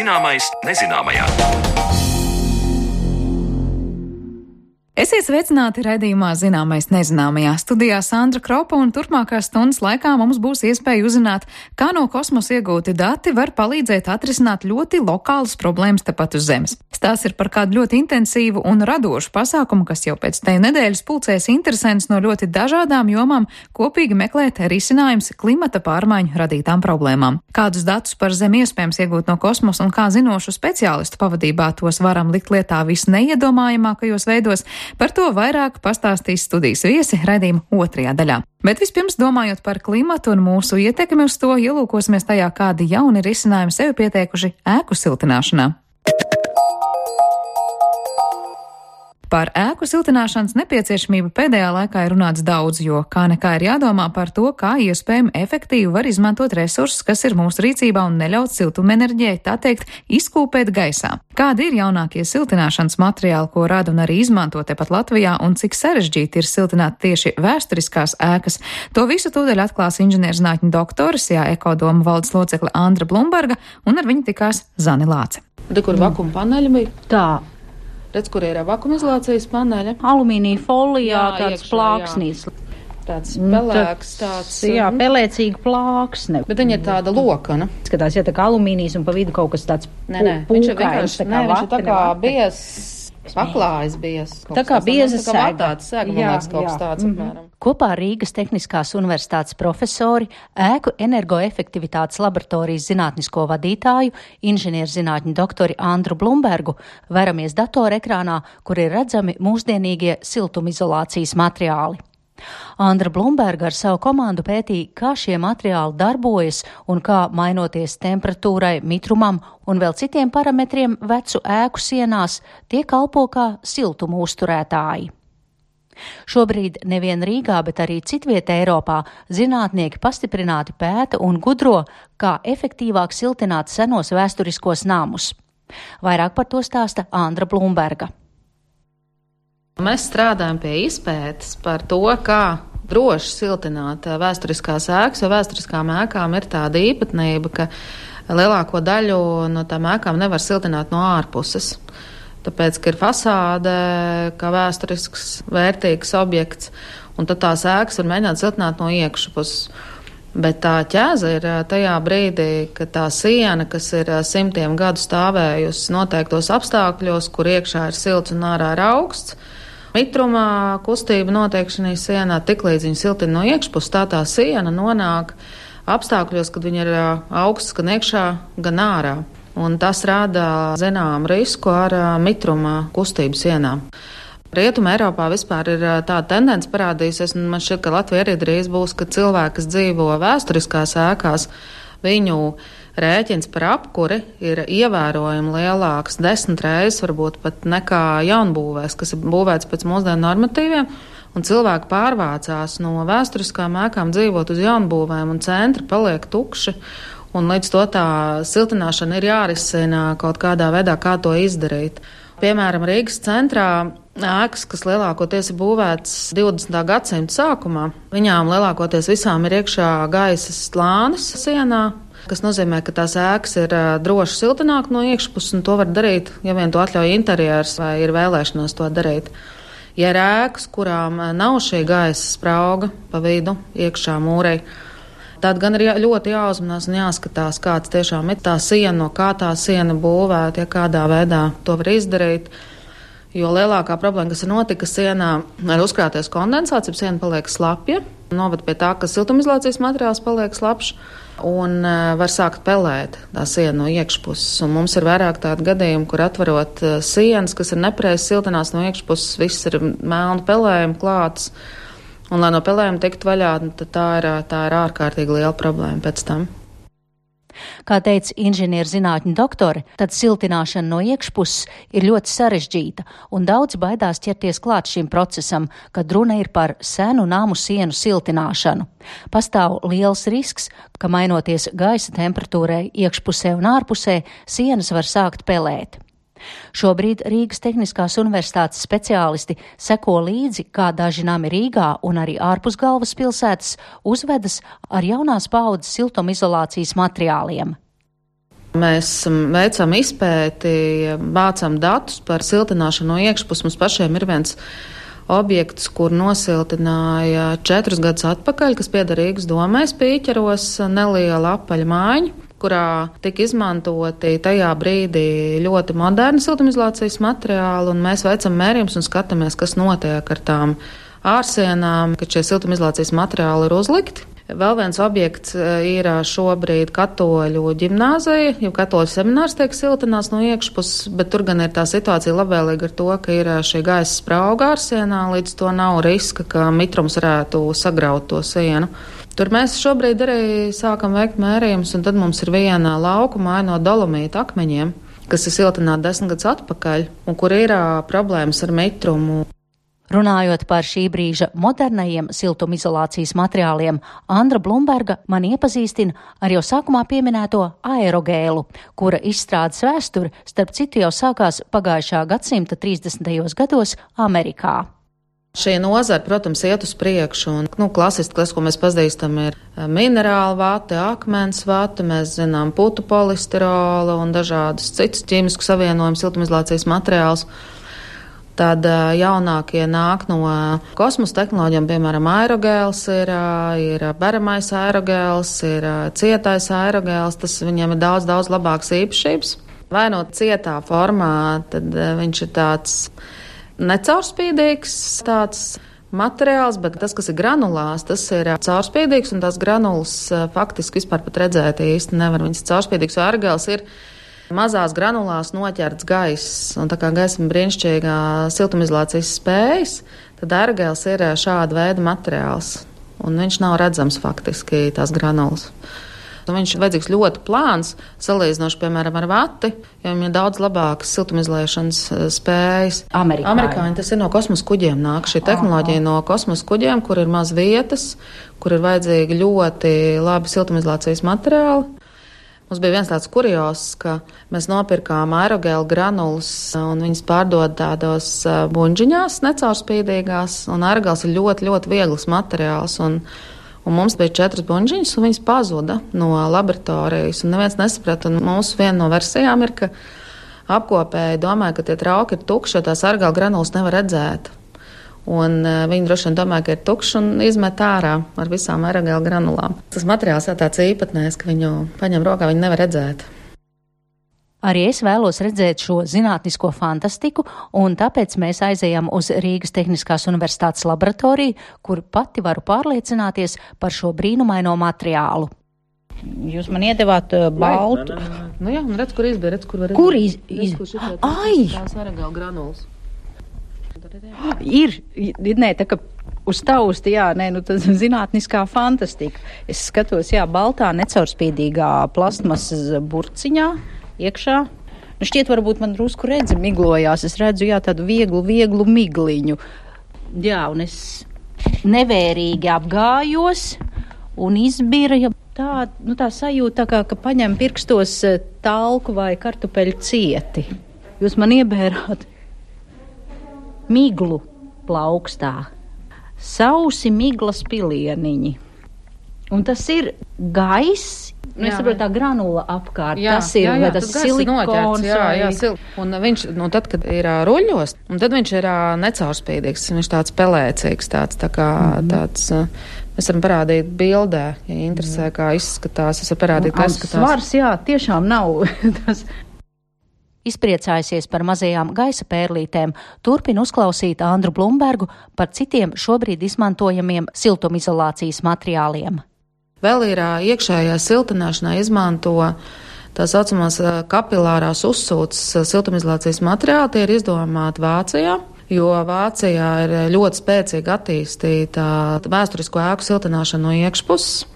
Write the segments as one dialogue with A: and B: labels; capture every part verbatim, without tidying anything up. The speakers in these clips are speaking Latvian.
A: Zināmais nezināmajā.
B: Esiet sveicināti raidījumā Zināmais nezināmajā. Studijā Sandra Kropa, un turpmākās stundas laikā mums būs iespēja uzzināt, kā no kosmosa iegūti dati var palīdzēt atrisināt ļoti lokālas problēmas tepat uz Zemes. Stāsts ir par kādu ļoti intensīvu un radošu pasākumu, kas jau pēc teju nedēļas pulcēs interesants no ļoti dažādām jomām kopīgi meklēt risinājums klimata pārmaiņu radītām problēmām. Kādus datus par Zemi iespējams iegūt no kosmosa un kā zinošu speciālistu pavadībā tos varam likt lietā visneiedomājamākajos veidos, par to vairāk pastāstīs studijas viesi raidījuma otrajā daļā. Bet vispirms, domājot par klimatu un mūsu ietekmi uz to, ielūkosimies tajā, kādi jauni risinājumi sevi pieteikuši ēku siltināšanā. Par ēku siltināšanas nepieciešamību pēdējā laikā ir runāts daudz, jo kā nekā ir jādomā par to, kā iespējami efektīvi var izmantot resursus, kas ir mūsu rīcībā un neļaut siltumenerģijai, tā teikt, izkūpēt gaisā. Kādi ir jaunākie siltināšanas materiāli, ko rada un arī izmanto tepat Latvijā, un cik sarežģīti ir siltināt tieši vēsturiskās ēkas? To visu tūdaļ atklās inženierzinātņu doktore, S I A Ekodoma valdes locekle Andra Blumberga, un ar viņu tikās Zane Lāce.
C: Re, kur vakuma paneļi bija?
D: Tā.
C: Redz, kur ir vakumizolācijas paneļa?
D: Alumīnija folijā, jā, tāds iekšā, plāksnīs.
C: Jā. Tāds pelēks, tāds...
D: Jā, pelēcīga plāksne.
C: Bet viņa ir tāda lokana.
D: Skatās, ja tā kā alumīnijas un pa vidu kaut kas tāds
C: nē, nē,
D: pūkains.
C: Viņš ir vienkārši, nē, viņš ir tā kā bies, paklājas bies.
D: Tā kā bieza sēga.
C: Tā kā vatāts sēga, man liekas, kaut kas tāds,
D: mm-hmm.
C: apmēram.
E: Kopā ar Rīgas Tehniskās universitātes profesori, ēku energoefektivitātes laboratorijas zinātnisko vadītāju, inženierzinātņu doktori Andru Blumbergu veramies datorekrānā, kur ir redzami mūsdienīgie siltumizolācijas materiāli. Andra Blumberga ar savu komandu pētīja, kā šie materiāli darbojas un kā, mainoties temperatūrai, mitrumam un vēl citiem parametriem vecu ēku sienās, tie kalpo kā siltumu uzturētāji. Šobrīd nevien Rīgā, bet arī citvietē Eiropā zinātnieki pastiprināti pēta un gudro, kā efektīvāk siltināt senos vēsturiskos namus. Vairāk par to stāsta Andra Blumberga.
C: Mēs strādājam pie izpētes par to, kā droši siltināt vēsturiskās ēkas, jo vēsturiskām ēkām ir tāda īpatnība, ka lielāko daļu no tām ēkām nevar siltināt no ārpuses. Tāpēc, ka ir fasāde, kā vēsturisks, vērtīgs objekts, un tad tās ēkas var mēģināt siltināt no iekšpuses. Bet tā ķēze ir tajā brīdī, ka tā siena, kas ir simtiem gadu stāvējusi noteiktos apstākļos, kur iekšā ir silts un ārā ir augsts, mitrumā kustība notiek šī sienā, tiklīdz viņa siltina no iekšpuses, tā tā siena nonāk apstākļos, kad viņa ir augsts gan iekšā, gan ārā. Un tas rada zinām risku ar mitruma kustību sienām. Rietuma Eiropā vispār ir tāda tendence parādījusies, un man šķiet, ka Latvija arī drīz būs, ka cilvēki, kas dzīvo vēsturiskās ēkās, viņu rēķins par apkuri ir ievērojami lielāks, desmit reizes varbūt pat nekā jaunbūvēs, kas ir būvēts pēc mūsdienu normatīviem, un cilvēki pārvācās no vēsturiskām ēkām dzīvot uz jaunbūvēm, un centri paliek tukši. Un līdz to tā siltināšana ir jārisina kaut kādā veidā, kā to izdarīt. Piemēram, Rīgas centrā ēkas, kas lielākoties ir būvētas divdesmitā gadsimta sākumā, viņām lielākoties visām ir iekšā gaisa slānis sienā, kas nozīmē, ka tās ēkas ir droši siltināt no iekšpuses, un to var darīt, ja vien to atļauj interjers vai ir vēlēšanās to darīt. Ja ir ēkas, kurām nav šī gaisa sprauga pa vidu iekšā mūrei, tad gan ir ļoti jāuzmanās un jāskatās, kāds tiešām ir tā siena, no kā tā siena būvēta, ja kādā veidā to var izdarīt. Jo lielākā problēma, kas ir notika sienā, ir uzkrāties kondensāts, ja siena paliek slapja, novad pie tā, ka siltumizolācijas materiāls paliek slapjš un var sākt pelēt tā siena no iekšpuses. Un mums ir vairāk tādu gadījumu, kur atverot sienas, kas ir nepareizi siltinās no iekšpuses, viss ir melnu pelējumi klāts. Un, lai no pelējuma tiktu vaļā, tad tā ir, tā ir ārkārtīgi liela problēma pēc tam.
E: Kā teica inženierzinātņu doktore, tad siltināšana no iekšpuses ir ļoti sarežģīta, un daudz baidās ķerties klāt šim procesam, kad runa ir par senu namu sienu siltināšanu. Pastāv liels risks, ka mainoties gaisa temperatūrai iekšpusē un ārpusē, sienas var sākt pelēt. Šobrīd Rīgas Tehniskās universitātes speciālisti seko līdzi, kā daži nami Rīgā un arī ārpus galvaspilsētas uzvedas ar jaunās paaudzes siltumizolācijas materiāliem.
C: Mēs veicam izpēti, vācam datus par siltināšanu no iekšpuses. Mums pašiem ir viens objekts, kur nosiltināja četrus gadus atpakaļ, kas pieder Rīgas domē Spīķeros, neliela apaļa mājiņa, kurā tika izmantoti tajā brīdī ļoti moderni siltumizolācijas materiāli, un mēs veicam mērījumus un skatāmies, kas notiek ar tām ārsienām, kad šie siltumizolācijas materiāli ir uzlikti. Vēl viens objekts ir šobrīd Katoļu ģimnāzija, jo Katoļu seminārs tiek siltināts no iekšpuses, bet tur gan ir tā situācija labvēlīga ar to, ka ir šī gaisa sprauga ārsienā, līdz to nav riska, ka mitrums varētu sagraut to sienu. Tur mēs šobrīd arī sākam veikt mērījumus, un tad mums ir viena lauku māja no dolomīta akmeņiem, kas ir siltināta desmit gadus atpakaļ, un kur ir problēmas ar mitrumu.
E: Runājot par šī brīža modernajiem siltumizolācijas materiāliem, Andra Blumberga man iepazīstina ar jau sākumā pieminēto aerogēlu, kura izstrādes vēsture, starp citu, jau sākās pagājušā gadsimta trīsdesmitajos gados Amerikā.
C: Šī nozara, protams, iet uz priekšu, un nu, klasiski tas, ko mēs pazīstam, ir minerāla vate, akmens vate, mēs zinām putu polisterolu un dažādus citus ķīmisku savienojumu siltumizolācijas materiālus. Tad jaunākie nāk no kosmosa tehnoloģijām, piemēram, aerogēls ir, ir beramais aerogēls, ir cietais aerogēls, tas viņiem ir daudz, daudz labāks īpašības. Vai no cietā formā, tad viņš ir tāds necaurspīdīgs, tāds materiāls, bet tas, kas ir granulās, tas ir caurspīdīgs, un tās granulas faktiski vispār pat redzēt īsti nevar. Viņas caurspīdīgs, jo aerogēls ir mazās granulās noķerts gaiss, un tā kā gaisma brīnišķīgā siltumizolācijas spējas, tad aerogēls ir šāda veida materiāls, un viņš nav redzams faktiski tās granulas. Un viņš ir vajadzīgs ļoti plāns, salīdzinoši, piemēram, ar vati, jo viņam ir daudz labākas siltumizolēšanas spējas.
D: Amerikāņi.
C: Amerikāņi tas ir no kosmosa kuģiem nāk, šī tehnoloģija no kosmosa kuģiem, kur ir maz vietas, kur ir vajadzīgi ļoti labi siltumizolācijas materiāli. Mums bija viens tāds kurios, ka mēs nopirkām aerogēlu granulas un viņas pārdod tādos buņģiņās, necaurspīdīgās, un aerogēls ir ļoti, ļoti viegls materiāls, un, un mums bija četras buņģiņas, un viņas pazuda no laboratorijas, un neviens nesaprata, un mūsu viena no versijām ir, ka apkopēji domāja, ka tie trauki ir tukši, jo tās aerogēlu granulas nevar redzēt. Un uh, viņi droši vien domāja, ka ir tukšs un izmet ārā ar visām aerogēlu granulām. Tas materiāls ir tāds īpatnējs, ka viņu paņem rokā, viņu nevar redzēt.
E: Arī es vēlos redzēt šo zinātnisko fantastiku, un tāpēc mēs aizejam uz Rīgas Tehniskās universitātes laboratoriju, kur pati varu pārliecināties par šo brīnumaino materiālu.
D: Jūs man iedevāt uh, baltu.
C: Nē, nē, nē. Nu jā, un redz, kur izbēr, redz, kur var redzēt.
D: Kur iz... iz...
C: Redz, kur šitāds,
D: Ai!
C: tās aerogēlu granulas.
D: Ir, nē, tā kā uz tausti, jā, nē, nu tas zinātniskā fantastika. Es skatos, jā, baltā necaurspīdīgā plastmasas burciņā iekšā. Nu šķiet, varbūt man drusku redzi miglojās. Es redzu, jā, tādu vieglu, vieglu migliņu. Jā, un es nevērīgi apgājos un izbira tā, nu tā sajūta, tā kā, ka paņem pirkstos talku vai kartupeļu cieti. Jūs man iebērāt miglu plaukstā, sausi miglas pilieniņi. Un tas ir gaiss, nu, es saprotu, tā granula apkārt,
C: jā,
D: tas ir,
C: jā, jā,
D: vai tas, tas silikons.
C: Jā,
D: vai...
C: jā, sil... un viņš, nu tad, kad ir ruļļos, un tad viņš ir necaurspīdīgs, viņš tāds pelēcīgs, tāds, tā kā, mm-hmm. tāds, mēs varam parādīt bildē, ja interesē, kā izskatās, es varu parādīt, kā izskatās.
D: Svars, jā, tiešām nav tas...
E: Izpriecājusies par mazajām gaisa pērlītēm, turpina uzklausīt Andru Blumbergu par citiem šobrīd izmantojamiem siltumizolācijas materiāliem.
C: Vēl ir iekšējā siltināšanā izmanto tā saucamās kapilārās uzsūces siltumizolācijas materiāli, tie ir izdomāti Vācijā, jo Vācijā ir ļoti spēcīgi attīstīta vēsturisko ēku siltināšana no iekšpuses.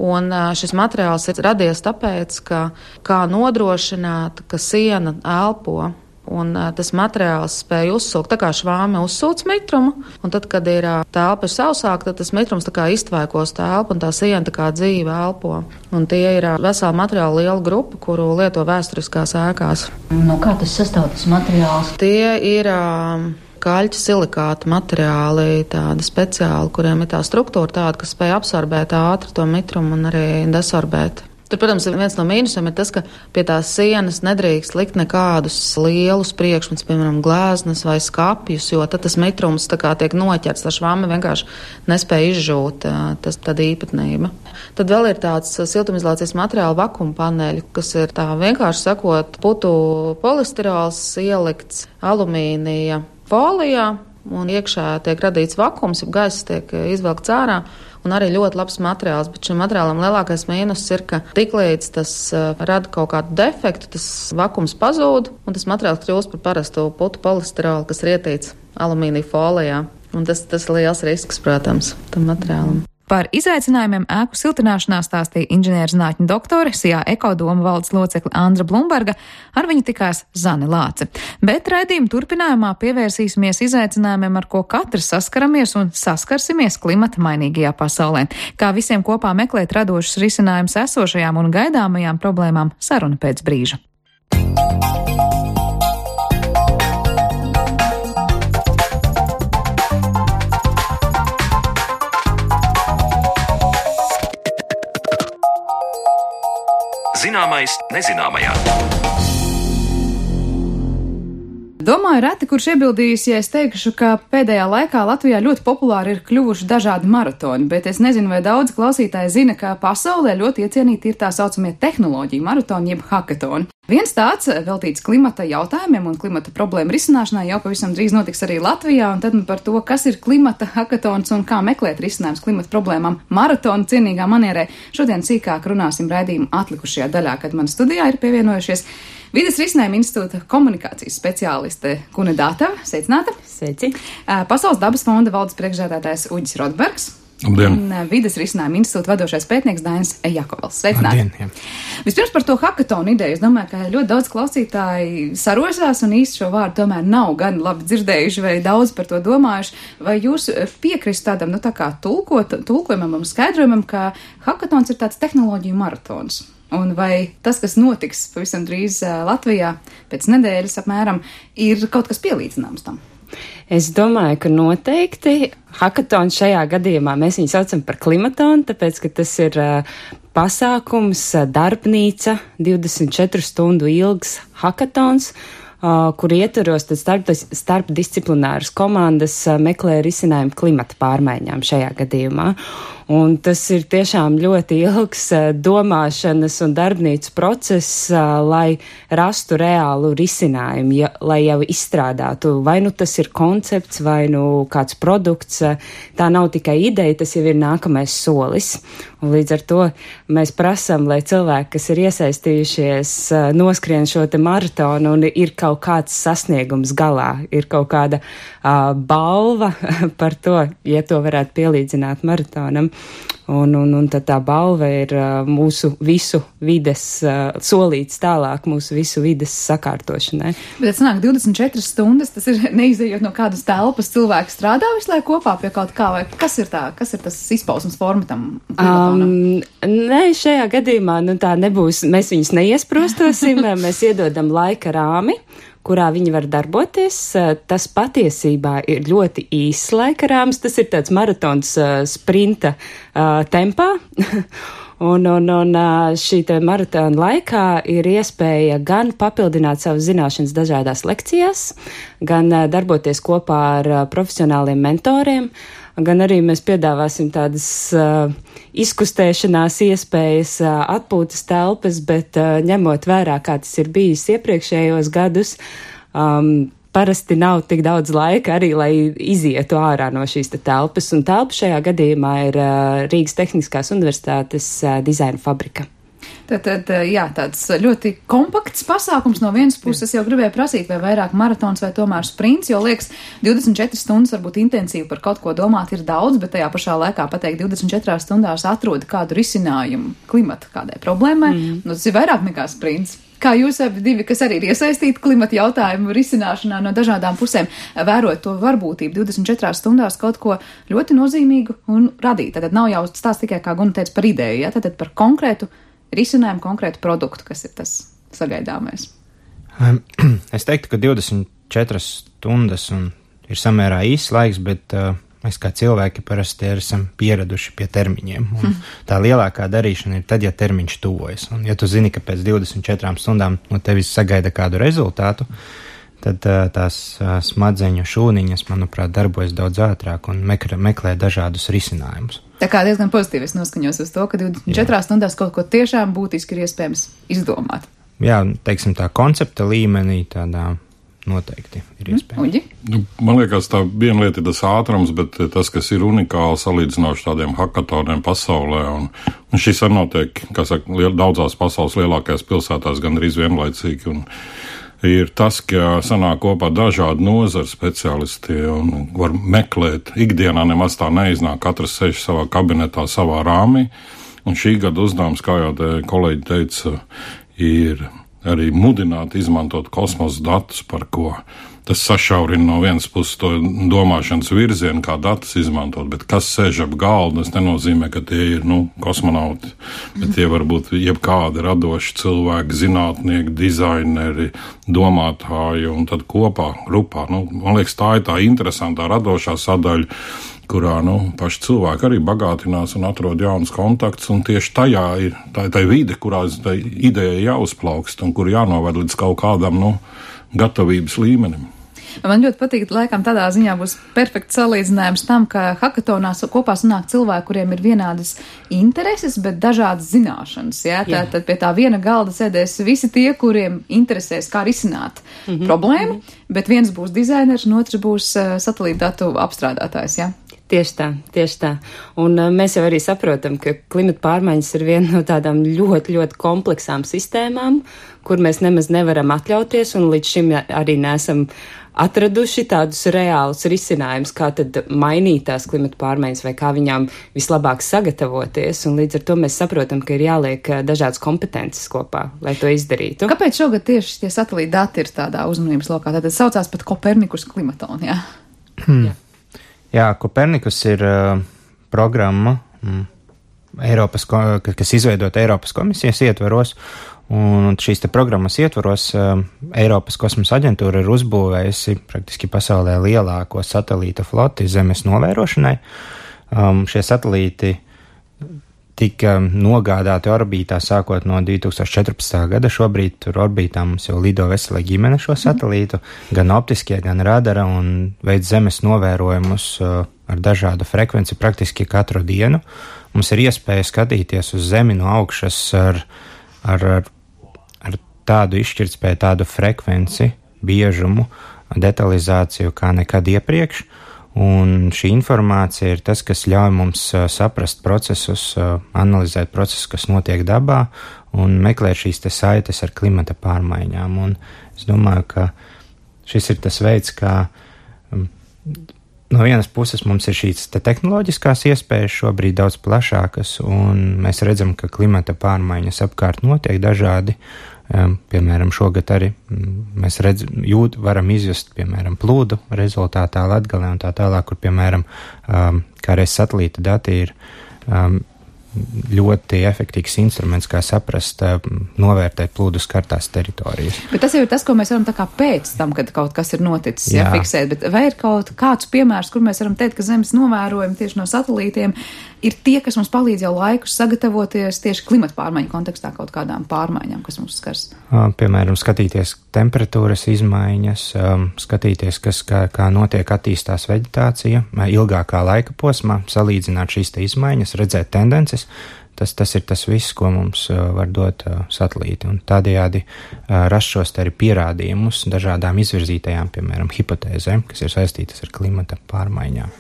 C: Un šis materiāls ir radies tāpēc, ka kā nodrošināt, ka siena elpo, un tas materiāls spēja uzsūkt, tā kā švāme uzsūc mitrumu, un tad, kad ir telpa ir sausāka, tad tas mitrums tā kā iztvaikos telpu, un tā siena tā kā dzīve elpo. Un tie ir vesela materiāla liela grupa, kuru lieto vēsturiskās ēkās.
D: No kā tas sastāv tas materiāls?
C: Tie ir kaļķa silikāta materiāli, tādi speciāli, kuriem ir tā struktūra tāda, kas spēj absorbēt ātri to mitrumu un arī desorbēt Tur, protams, viens no mīnusiem ir tas, ka pie tās sienas nedrīkst likt nekādus lielus priekšmetus, piemēram, glēznas vai skapjus, jo tad tas mitrums tā kā tiek noķerts, tā švama vienkārši nespēja izžūt, tas tāda īpatnība. Tad vēl ir tāds siltumizolācijas materiāla vakuma paneļi, kas ir tā vienkārši sakot, putu polistirols ielikts alumīnija folijā, un iekšā tiek radīts vakums, ja gaiss tiek izvelkts ārā, un arī ļoti labs materiāls, bet šim materiālam lielākais mīnus ir, ka tiklīdz tas uh, rada kaut kādu defektu, tas vakums pazūd, un tas materiāls kļūst par parastu putu polistirolu, kas ir ietīts alumīnija folijā, un tas, tas ir liels risks, protams, tam materiālam.
B: Par izaicinājumiem ēku siltināšanā stāstīja inženierzinātņu doktore, S I A Ekodoma valdes locekle Andra Blumberga, ar viņu tikās Zane Lāce. Bet raidījuma turpinājumā pievērsīsimies izaicinājumiem, ar ko katrs saskaramies un saskarsimies klimata mainīgajā pasaulē. Kā visiem kopā meklēt radošus risinājumus esošajām un gaidāmajām problēmām, saruna pēc brīža.
A: Zināmais nezināmajā.
B: Domāju, reti, kurš iebildīs, ja es teikšu, ka pēdējā laikā Latvijā ļoti populāri ir kļuvuši dažādi maratoni, bet es nezinu, vai daudz klausītāji zina, ka pasaulē ļoti iecienīti ir tā saucamie tehnoloģiju maratoni, jeb hakatoni. Viens tāds veltīts klimata jautājumiem un klimata problēmu risināšanai jau pavisam drīz notiks arī Latvijā, un tad par to, kas ir klimata hakatons un kā meklēt risinājums klimata problēmām maratona cienīgā manierē, šodien sīkāk runāsim raidījuma atlikušajā daļā, kad man studijā ir pievienojušies Vides risinājuma institūta komunikācijas speciāliste Kune Dātava. Sveicināta!
F: Sveici!
B: Pasaules dabas fonda valdes priekšsēdētājs Uģis Rotbergs.
G: Labdien.
B: Un Vides risinājuma institūta vadošais pētnieks Dainis Jakovals. Sveicināti!
G: Labdien,
B: Vispirms par to hakatonu ideju. Es domāju, ka ļoti daudz klausītāji sarosās un īsti šo vārdu tomēr nav gan labi dzirdējuši vai daudz par to domājuši. Vai jūs piekrist tādam, nu tā kā tulkot, tulkojumam un skaidrojumam, ka hakatons ir tāds tehnoloģiju maratons? Un vai tas, kas notiks pavisam drīz Latvijā pēc nedēļas apmēram, ir kaut kas pielīdzināms tam?
F: Es domāju, ka noteikti hakatons šajā gadījumā mēs viņu saucam par klimatonu, tāpēc, ka tas ir uh, pasākums, uh, darbnīca, divdesmit četru stundu ilgs hakatons, uh, kur ietvaros tad starp, starpdisciplināras komandas uh, meklē risinājumu klimata pārmaiņām šajā gadījumā. Un tas ir tiešām ļoti ilgs domāšanas un darbnīcu process, lai rastu reālu risinājumu, ja, lai jau izstrādātu. Vai nu tas ir koncepts, vai nu kāds produkts. Tā nav tikai ideja, tas jau ir nākamais solis. Un līdz ar to mēs prasam, lai cilvēki, kas ir iesaistījušies, noskrien šo te maratonu un ir kaut kāds sasniegums galā, ir kaut kāda uh, balva par to, ja to varētu pielīdzināt maratonam. Un, un, un tad tā balva ir uh, mūsu visu vides uh, solīts tālāk, mūsu visu vides sakārtošanai. Bet
B: tas nāk divdesmit četras stundas, tas ir neizejot no kādas telpas, cilvēki strādā visu laiku kopā pie kaut kā, vai kas ir tā, kas ir tas izpausmes forma tam klimatonam? Um,
F: nē, šajā gadījumā, nu tā nebūs, mēs viņus neiesprostosim, mēs iedodam laika rāmi, kurā viņi var darboties. Tas patiesībā ir ļoti īss laika rāms, tas ir tāds maratons uh, sprinta uh, tempā. Un, un, un šī maratona laikā ir iespēja gan papildināt savas zināšanas dažādās lekcijās, gan darboties kopā ar profesionāliem mentoriem, gan arī mēs piedāvāsim tādas uh, izkustēšanās iespējas, uh, atpūtas telpas, bet uh, ņemot vērā, kā tas ir bijis iepriekšējos gadus, um, parasti nav tik daudz laika arī, lai izietu ārā no šīs te telpas, un telpa šajā gadījumā ir uh, Rīgas Tehniskās universitātes uh, dizaina fabrika.
B: Tad, jā, tāds ļoti kompakts pasākums no vienas puses. Jau gribēju prasīt, vai vairāk maratons vai tomēr sprints, jo liekas, divdesmit četras stundas varbūt intensīvi par kaut ko domāt ir daudz, bet tajā pašā laikā pateikt divdesmit četrās stundās atrod kādu risinājumu klimata kādai problēmai, mm. nu tas ir vairāk nekā sprints. Kā jūs abi divi, kas arī ir iesaistīti klimata jautājumu risināšanā no dažādām pusēm, vērot to varbūtību divdesmit četrās stundās kaut ko ļoti nozīmīgu un radīt? Tad nav jau stāsts tikai, kā Guna teica, par ideju, ja? Tad par konkrētu risinājumu, konkrētu produktu, kas ir tas sagaidāmais.
G: Es teiktu, ka divdesmit četras stundas un ir samērā īsts laiks, bet uh, mēs kā cilvēki parasti esam pieraduši pie termiņiem. Un hmm. tā lielākā darīšana ir tad, ja termiņš tuvojas. Un ja tu zini, ka pēc divdesmit četrām stundām no tevis sagaida kādu rezultātu, tad tās smadzeņu šūniņas, manuprāt, darbojas daudz ātrāk un meklē, meklē dažādus risinājumus.
B: Tā kā diezgan pozitīvi es noskaņos uz to, ka divdesmit četrās stundās kaut ko tiešām būtiski ir iespējams izdomāt.
G: Jā, teiksim tā koncepta līmenī tādā noteikti ir iespējams.
H: Nu, man liekas, tā viena lieta ir tas ātrums, bet tas, kas ir unikāli salīdzinoši tādiem hakatoniem pasaulē, un, un šis arī notiek, kā saka, liel, daudzās pasaules lielākajās pilsētās gandrīz vienlaicīgi, un ir tas, ka sanāk kopā dažādi nozaru speciālisti un var meklēt. Ikdienā nemaz tā neiznāk, katrs sēž savā kabinetā, savā rāmī. Un šī gada uzdevums, kā jau te kolēģi teica, ir arī mudināt izmantot kosmosa datus, par ko tas sašaurina no vienas puses to domāšanas virzienu, kā datus izmantot, bet kas sēž ap galdu, tas nenozīmē, ka tie ir, nu, kosmonauti, bet tie var būt jebkādi radoši cilvēki, zinātnieki, dizaineri, domātāji, un tad kopā, grupā, nu, man liekas, tā ir tā interesantā radošā sadaļa, kurā, nu, paši cilvēki arī bagātinās un atrod jaunus kontaktus, un tieši tajā ir tā, tā vide, kurā tā ideja jāuzplaukst un kur jānovad līdz kaut kādam, nu, gatavības līmenim.
B: Man ļoti patīk, laikam tādā ziņā būs perfekts salīdzinājums tam, ka hakatonās kopā sanāk cilvēki, kuriem ir vienādas intereses, bet dažādas zināšanas. Jā? Tā, tad pie tā viena galda sēdēs visi tie, kuriem interesēs, kā risināt mm-hmm. problēmu, bet viens būs dizainers un otrs būs uh, satelīta datu apstrādātājs. Jā?
F: Tieši tā, tieši tā. Un uh, mēs jau arī saprotam, ka klimata pārmaiņas ir viena no tādām ļoti, ļoti kompleksām sistēmām, kur mēs nemaz nevaram atļauties, un līdz šim arī neesam atraduši tādus reālus risinājumus, kā tad mainīt tās klimata pārmaiņas vai kā viņām vislabāk sagatavoties, un līdz ar to mēs saprotam, ka ir jāliek dažādas kompetences kopā, lai to izdarītu.
B: Kāpēc šogad tieši tie satelīta dati ir tādā uzmanības lokā? Tātad saucās pat Kopernikus klimatoni, jā?
G: Hmm. Jā. Jā, Kopernikus ir uh, programma, mm, Eiropas, kas izveidota Eiropas komisijas ietveros, un šīs te programmas ietvaros uh, Eiropas kosmosa aģentūra ir uzbūvējusi praktiski pasaulē lielāko satelīta floti Zemes novērošanai. Um, šie satelīti tika nogādāti orbītā sākot no divi tūkstoši četrpadsmitā gada. Šobrīd tur orbītā mums jau lido vesela ģimene šo satelītu, gan optiskie, gan radara, un veids Zemes novērojumus uh, ar dažādu frekvenci praktiski katru dienu. Mums ir iespēja skatīties uz Zemi no augšas ar, ar, ar, ar tādu izšķirtspēju, tādu frekvenci, biežumu, detalizāciju kā nekad iepriekš. Un šī informācija ir tas, kas ļauj mums uh, saprast procesus, uh, analizēt procesus, kas notiek dabā, un meklēt šīs te saites ar klimata pārmaiņām. Un es domāju, ka šis ir tas veids, kā um, no vienas puses mums ir šīs te tehnoloģiskās iespējas šobrīd daudz plašākas, un mēs redzam, ka klimata pārmaiņas apkārt notiek dažādi. Um, piemēram, šogad arī mēs redz, jūt, varam izjust, piemēram, plūdu rezultātā Latgalē un tā tālāk, kur, piemēram, um, kā reiz satelīta dati ir um, ļoti efektīvs instruments, kā saprast, um, novērtēt plūdu skartās teritorijas.
B: Bet tas jau ir tas, ko mēs varam tā kā pēc tam, kad kaut kas ir noticis, jā, fiksēt, bet vai ir kaut kāds piemērs, kur mēs varam teikt, ka Zemes novērojumi tieši no satelītiem ir tie, kas mums palīdz jau laikus sagatavoties tieši klimata pārmaiņu kontekstā kaut kādām pārmaiņām, kas mums skars?
G: Piemēram, skatīties temperatūras izmaiņas, skatīties, kas, kā, kā notiek attīstās veģetācija ilgākā laika posmā, salīdzināt šīs te izmaiņas, redzēt tendences. Tas, tas ir tas viss, ko mums var dot satelīti, un tādējādi rast šos te arī pierādījumus dažādām izvirzītajām, piemēram, hipotēzēm, kas ir saistītas ar klimata pārmaiņām.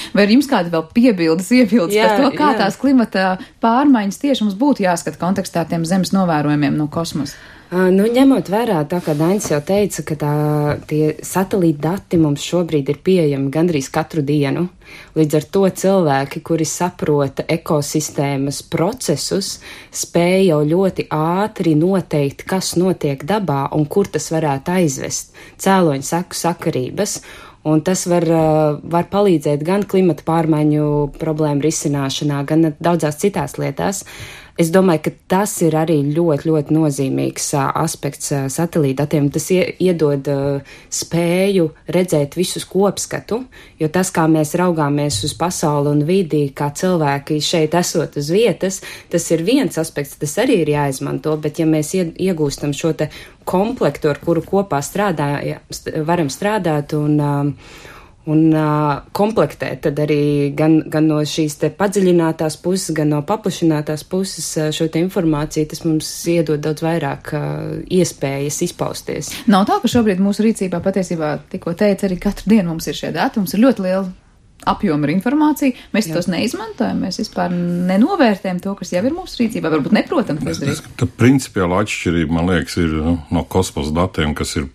B: Vai ir jums kādi vēl piebildes, iebildes
F: jā,
B: par to, kā
F: jā.
B: tās klimata pārmaiņas tieši mums būtu jāskata kontekstā ar tiem Zemes novērojumiem no kosmosa?
F: Uh, nu, ņemot vērā, tā kā Dainis jau teica, ka tā, tie satelīta dati mums šobrīd ir pieejami gandrīz katru dienu. Līdz ar to cilvēki, kuri saprota ekosistēmas procesus, spēja jau ļoti ātri noteikt, kas notiek dabā un kur tas varētu aizvest. Cēloņu seku sakarības. Un tas var, var palīdzēt gan klimata pārmaiņu problēmu risināšanā, gan daudzās citās lietās. Es domāju, ka tas ir arī ļoti, ļoti nozīmīgs uh, aspekts uh, satelītdatiem. Tas ie, iedod uh, spēju redzēt visus kopskatu, jo tas, kā mēs raugāmies uz pasauli un vidi, kā cilvēki šeit esot uz vietas, tas ir viens aspekts, tas arī ir jāizmanto, bet ja mēs iegūstam šo te komplektu, ar kuru kopā strādājam, varam strādāt un um, un uh, komplektēt tad arī gan, gan no šīs te padziļinātās puses, gan no paplašinātās puses uh, šo te informāciju, tas mums iedod daudz vairāk uh, iespējas izpausties.
B: Nav tā, ka šobrīd mūsu rīcībā patiesībā, tikko teica, arī katru dienu mums ir šie dati, mums ir ļoti liela apjoma ar informāciju, mēs Jā. tos neizmantojam, mēs vispār nenovērtējam to, kas jau ir mūsu rīcībā, varbūt neprotam to izdarīt.
H: Tā principiāla atšķirība, man liekas, ir nu, no kosmosa datiem, kas ir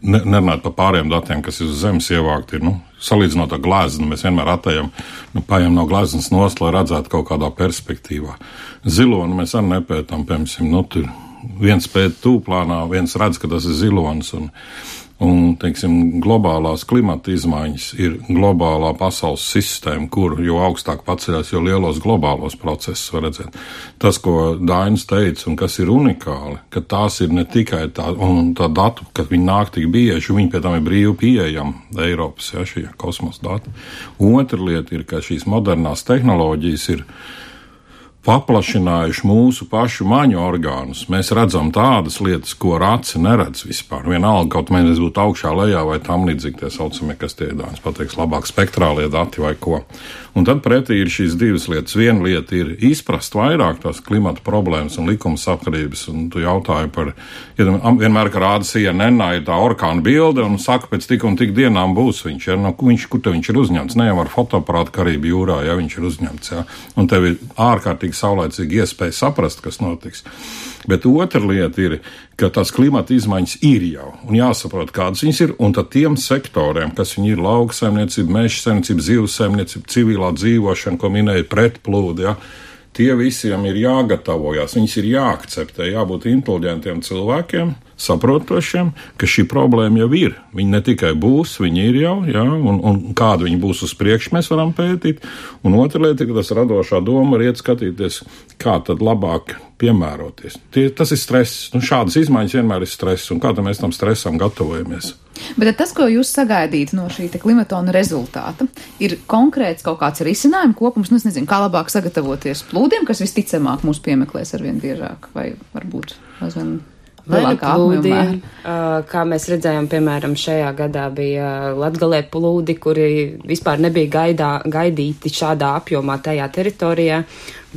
H: Ne, nerunāt par pārējiem datiem, kas ir uz Zemes ievākti, ir, nu, salīdzinot ar gleznu, mēs vienmēr atējam, nu, paņem no gleznas nost, lai redzētu kaut kādā perspektīvā. Zilonu mēs arī nepētām, piemēram, nu, tur viens pēt tūplānā, viens redz, ka tas ir zilonis, un, un, teiksim, globālās klimata izmaiņas ir globālā pasaules sistēma, kur jo augstāk paceļās, jo lielos globālos procesus var redzēt. Tas, ko Dainis teica, un kas ir unikāli, ka tās ir ne tikai tā, un tā datu, kad viņi nāk tik bieži, viņi pie tam ir brīvi pieejami Eiropas, ja, šie kosmosa dati. Otra lieta ir, ka šīs modernās tehnoloģijas ir paplašinājuši mūsu pašu maņu orgānus. Mēs redzam tādas lietas, ko ar aci neredz vispār. Vienalga, kaut mēs būtu augšā, lejā vai tam līdzīgi tie saucamie, kas tie Dānis pateiks, labāk spektrālie dati vai ko. Un tad pretī ir šīs divas lietas. Viena lieta ir izprast vairāk tās klimata problēmas un likuma sakarības, un tu jautāji par, ja vienmēr, ka rāda C N N, ir tā orkāna bilde, un saka, pēc tik un tik dienām būs viņš, ja, no, viņš kur te viņš ir uzņemts, ne jau ar fotoaparātu Karību jūrā, ja viņš ir uzņemts, ja, un tev ir ārkārtīgi saulēcīgi iespēja saprast, kas notiks. Bet otra lieta ir, ka tās klimata izmaiņas ir jau, un jāsaprot, kādas viņas ir, un tad tiem sektoriem, kas viņi ir lauka saimniecība, meža saimniecība, zivs saimniecība, civilā dzīvošana, ko minēja pretplūdi, ja, tie visiem ir jāgatavojās, viņas ir jāakceptē, jābūt inteliģentiem cilvēkiem, saprotošiem, ka šī problēma jau ir. Viņi ne tikai būs, viņi ir jau, ja, un, un kāda viņi būs uz priekšu, mēs varam pētīt. Un otra lieta, ka tas radošā doma var iet skatīties, kā tad labāk piemēroties. Tie, tas ir stress. Nu, šādas izmaiņas vienmēr ir stress, un kā tad mēs tam stresam gatavojamies.
B: Bet tas, ko jūs sagaidīt no šī klimatona rezultāta, ir konkrēts kaut kāds risinājuma kopums, nu es nezinu, kā labāk sagatavoties plūdiem, kas visticamāk mūs piemeklēs arvien biežāk, vai varbūt aizvien lielākā apjomā.
F: Kā mēs redzējām, piemēram, šajā gadā bija Latgalē plūdi, kuri vispār nebija gaidā, gaidīti šādā apjomā tajā teritorijā,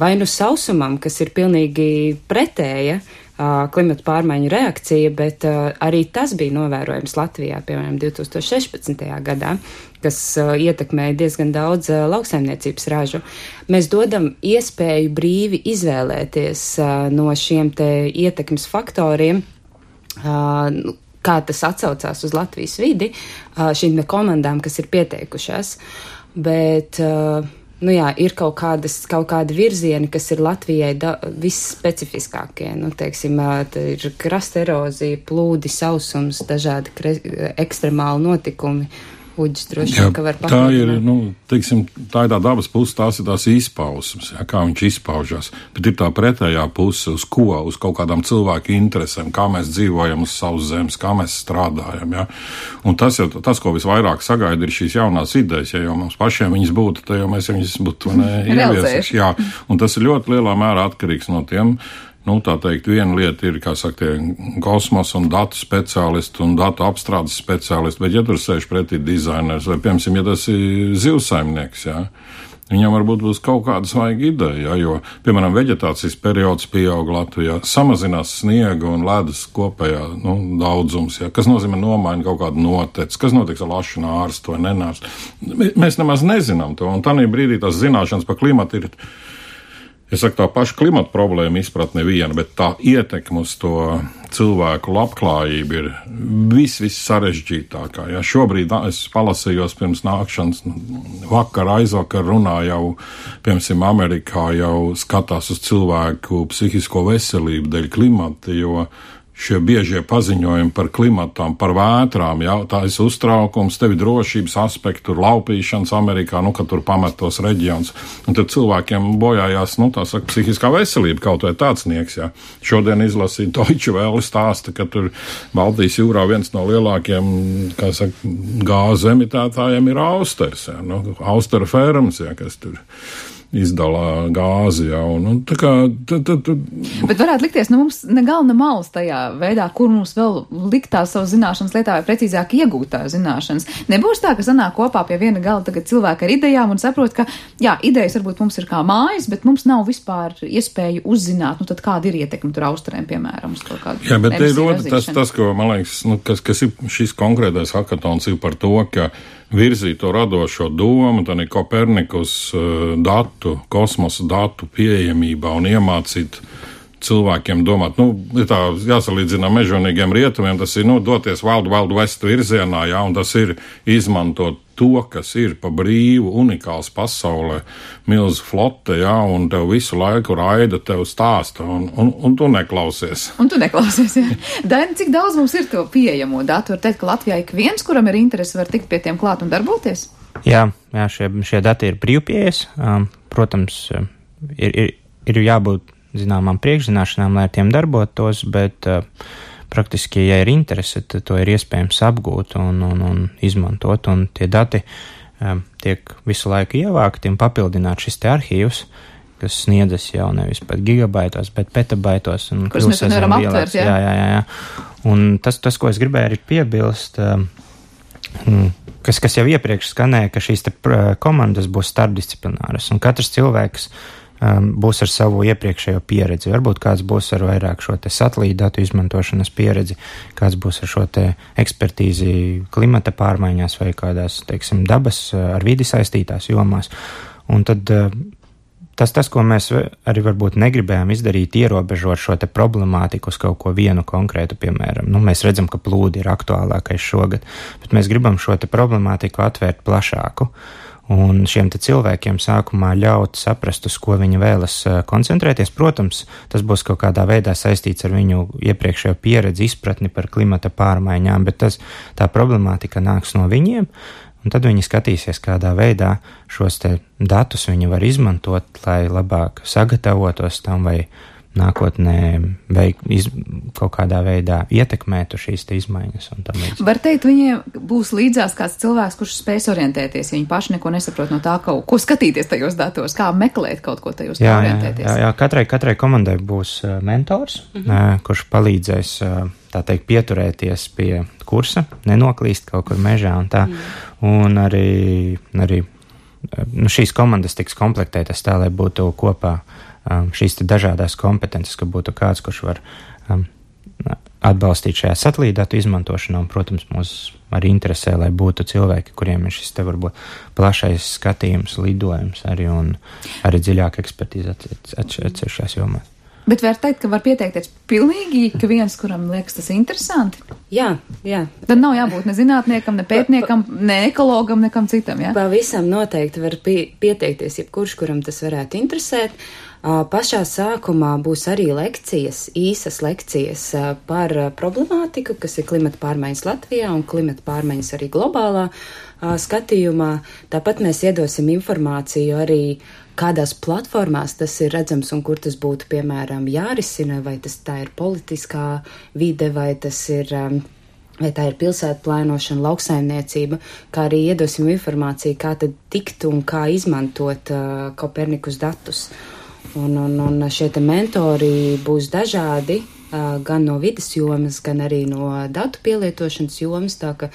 F: vai nu sausumam, kas ir pilnīgi pretēja klimata pārmaiņu reakcija, bet uh, arī tas bija novērojams Latvijā, piemēram, divi tūkstoši sešpadsmitajā gadā, kas uh, ietekmēja diezgan daudz uh, lauksaimniecības ražu. Mēs dodam iespēju brīvi izvēlēties uh, no šiem te ietekmes faktoriem, uh, kā tas atsaucās uz Latvijas vidi, uh, šīm komandām, kas ir pieteikušās, bet uh, Nu jā, ir kaut, kādas, kaut kādi virzieni, kas ir Latvijai da, visspecifiskākie. Nu, teiksim, ir krasta erozija, plūdi, sausums, dažādi kre, ekstremāli notikumi. Uģis droši vien, ka var
H: papildināt. Tā ir, nu, teiksim, tā ir tā dabas puse, tās ir tās izpausmes, ja, kā viņš izpaužās. Bet ir tā pretējā puse, uz ko, uz kaut kādām cilvēku interesēm, kā mēs dzīvojam uz savas zemes, kā mēs strādājam, ja. Un tas, jau, tas, ko visvairāk sagaida, ir šīs jaunās idejas, ja jau mums pašiem viņas būtu, tad jau mēs viņas būtu ieviesuši. Jā, un tas ir ļoti lielā mērā atkarīgs no tiem. Nu, tā teikt, viena lieta ir, kā saka, tie kosmosa un datu speciālisti un datu apstrādes speciālisti, bet ja tur sēž pretī dizainers vai, piemēram, ja tas ir zivsaimnieks, jā, viņam varbūt būs kaut kāda svaiga ideja, jā, jo, piemēram, veģetācijas periods pieaug Latvijā, samazinās sniega un ledus kopējā, nu, daudzums, jā, kas nozīmē nomaina kaut kādu noteci, kas notiks ar lašu nārstu vai nenārstu. Mēs nemaz nezinām to, un tādā brīdī tās zināšanas par klimatu ir, es saku, tā paša klimata problēma izpratne viena, bet tā ietekme uz to cilvēku labklājību ir vis, vis sarežģītākā. Ja šobrīd es palasījos pirms nākšanas, vakar, aizvakar runā jau, piemēram, Amerikā jau skatās uz cilvēku psihisko veselību dēļ klimata, jo šie biežie paziņojumi par klimatām, par vētrām, jā, tā ir uztraukums, tev ir drošības aspekti, tur laupīšanas Amerikā, nu, ka tur pamet tos reģions. Un tad cilvēkiem bojājās, nu, tā saka, psihiskā veselība, kaut vai tāds nieks, jā. Šodien izlasīja Deutsche Welle stāsta, ka tur Baltijas jūrā viens no lielākiem, kā saka, gāzu emitētājiem ir Austers, jā, nu, Austera fermas, jā, kas tur izdalā gāzi, jā, un, un tā kā... Tā, tā, tā.
B: Bet varētu likties, nu mums ne galna malas tajā veidā, kur mums vēl likt tās savas zināšanas lietā, vai precīzāk iegūt tās zināšanas. Nebūs tā, ka sanāk kopā pie viena gala tagad cilvēki ar idejām un saprot, ka, jā, idejas varbūt mums ir kā mājas, bet mums nav vispār iespēju uzzināt, nu tad kāda ir ietekme tur Austrēm, piemēram, uz kaut kādu.
H: Jā, bet te ir rota tas, tas, ko, man liekas, nu, kas, kas ir šis konkrētais hakatons ir par to, ka virzīt to radošo domu, tad ir Kopernikus uh, datu, kosmosa datu pieejamībā un iemācīt cilvēkiem domāt. Nu, ir tā jāsalīdzina mežonīgiem rietumiem, tas ir, nu, doties Wild Wild West virzienā, jā, un tas ir izmantot to, kas ir pa brīvu, unikāls pasaulē, milzu flote, jā, un tev visu laiku raida, tev stāsta, un, un, un tu neklausies.
B: Un tu neklausies, jā. Daini, cik daudz mums ir to pieejamo datu? Var teikt, ka Latvijā ik viens, kuram ir interesi, var tikt pie tiem klāt un darboties?
G: Jā, jā šie, šie dati ir brīvpieejas. Um, protams, ir, ir, ir jābūt zināmām priekšzināšanām, lai ar tiem darbotos, bet uh, praktiski, ja ir interese, tad to ir iespējams apgūt un, un, un izmantot, un tie dati um, tiek visu laiku ievākti un papildināt šis te arhīvs, kas sniedzas jau nevis pat gigabaitos, bet petabaitos.
B: Kurus mēs nevaram aptvert, jā?
G: Jā, jā, jā, jā. Un tas, tas, ko es gribēju arī piebilst, um, kas, kas jau iepriekš skanēja, ka šīs te komandas būs starpdisciplināras, un katrs cilvēks um, būs ar savu iepriekšējo pieredzi. Varbūt kāds būs ar vairāk šo te satelītu datu izmantošanas pieredzi, kāds būs ar šo te ekspertīzi klimata pārmaiņās vai kādās, teiksim, dabas ar vidi saistītās jomās. Un tad uh, Tas, tas, ko mēs arī varbūt negribējām izdarīt, ierobežot šo te problemātiku uz kaut ko vienu konkrētu, piemēram. Nu, mēs redzam, ka plūdi ir aktuālākais šogad, bet mēs gribam šo te problemātiku atvērt plašāku. Un šiem te cilvēkiem sākumā ļaut saprast, uz ko viņi vēlas koncentrēties. Protams, tas būs kaut kādā veidā saistīts ar viņu iepriekšējo pieredzi, izpratni par klimata pārmaiņām, bet tas, tā problemātika nāks no viņiem. Un tad viņi skatīsies, kādā veidā šos te datus viņi var izmantot, lai labāk sagatavotos tam vai nākotnē veik, iz, kaut kādā veidā ietekmētu šīs te izmaiņas. Un tam līdz.
B: Var teikt, viņiem būs līdzās kāds cilvēks, kurš spēs orientēties, ja viņi paši neko nesaprot no tā, ko, ko skatīties tajos datos, kā meklēt kaut ko tajos, kā orientēties.
G: Jā, jā, katrai, katrai komandai būs uh, mentors, mhm. uh, kurš palīdzēs uh, tā teikt, pieturēties pie kursa, nenoklīst kaut kur mežā un tā. Mm. Un arī, arī nu, šīs komandas tiks komplektētas tā, lai būtu kopā um, šīs te dažādās kompetences, ka būtu kāds, kurš var um, atbalstīt šajā satelītdatu izmantošanā, un, protams, mūs arī interesē, lai būtu cilvēki, kuriem ir šis te varbūt plašais skatījums, lidojums arī un arī dziļāka ekspertīze atsevišķās jomās.
B: Bet var teikt, ka var pieteikties pilnīgi, ka viens, kuram liekas tas interesanti?
I: Jā, jā.
B: Tad nav jābūt ne zinātniekam, ne pētniekam, ne ekologam, nekam citam, jā?
I: Pavisam noteikti var pie, pieteikties jebkurš, kuram tas varētu interesēt. Pašā sākumā būs arī lekcijas, īsas lekcijas par problemātiku, kas ir klimata pārmaiņas Latvijā un klimata pārmaiņas arī globālā skatījumā. Tāpat mēs iedosim informāciju arī, kādās platformās tas ir redzams un kur tas būtu, piemēram, jārisina, vai tas tā ir politiskā vide, vai tas ir, vai tā ir pilsētu plānošana, lauksaimniecība, kā arī iedosim informāciju, kā tad tikt un kā izmantot uh, Kopernikus datus. Un, un, un šie te mentori būs dažādi, uh, gan no vides jomas, gan arī no datu pielietošanas jomas, tā ka